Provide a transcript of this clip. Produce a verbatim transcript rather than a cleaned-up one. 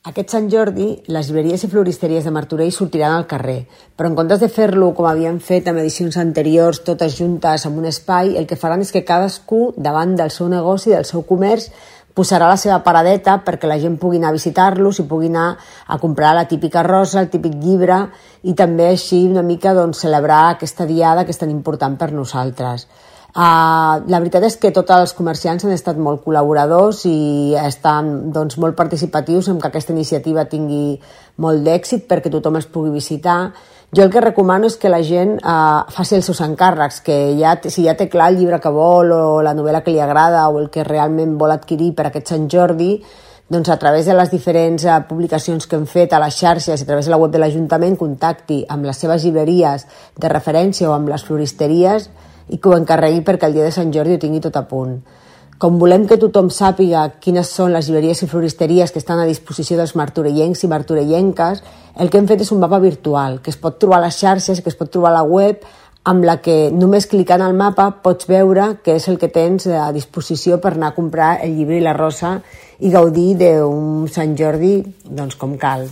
Aquest Sant Jordi, les llibreries i floristeries de Martorell sortiran al carrer, però en comptes de fer-lo com havien fet en edicions anteriors, totes juntes en un espai, el que faran és que cadascú, davant del seu negoci, del seu comerç, posarà la seva paradeta perquè la gent pugui anar a visitar-los i pugui anar a comprar la típica rosa, el típic llibre i també així una mica doncs, celebrar aquesta diada que és tan important per nosaltres. Uh, la veritat és que tots els comerciants han estat molt col·laboradors i estan doncs, molt participatius en que aquesta iniciativa tingui molt d'èxit perquè tothom els pugui visitar. Jo el que recomano és que la gent uh, faci els seus encàrrecs, que ja, si ja té clar el llibre que vol o la novel·la que li agrada o el que realment vol adquirir per aquest Sant Jordi, doncs a través de les diferents uh, publicacions que hem fet a les xarxes i a través de la web de l'Ajuntament contacti amb les seves llibreries de referència o amb les floristeries i que ho encarregui perquè el dia de Sant Jordi ho tingui tot a punt. Com volem que tothom sàpiga quines són les llibreries i floristeries que estan a disposició dels martorellencs i martorellenques, el que hem fet és un mapa virtual que es pot trobar a les xarxes i que es pot trobar a la web, amb la que només clicant al mapa pots veure què és el que tens a disposició per anar a comprar el llibre i la rosa i gaudir d'un Sant Jordi doncs, com cal.